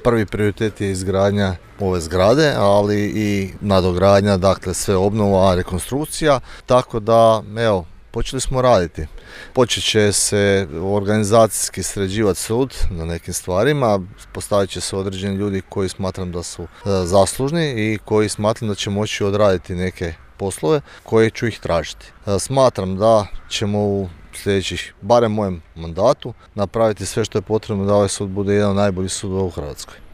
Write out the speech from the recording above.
prvi prioritet je izgradnja ove zgrade, ali i nadogradnja, dakle sve obnova, rekonstrukcija, tako da evo, počeli smo raditi. Počet će se organizacijski sređivati sud na nekim stvarima, postavit će se određeni ljudi koji smatram da su zaslužni i koji smatram da će moći odraditi neke poslove koje ću ih tražiti. Smatram da ćemo u sljedećih, barem mojem mandatu, napraviti sve što je potrebno da ovaj sud bude jedan od najboljih sudova u Hrvatskoj.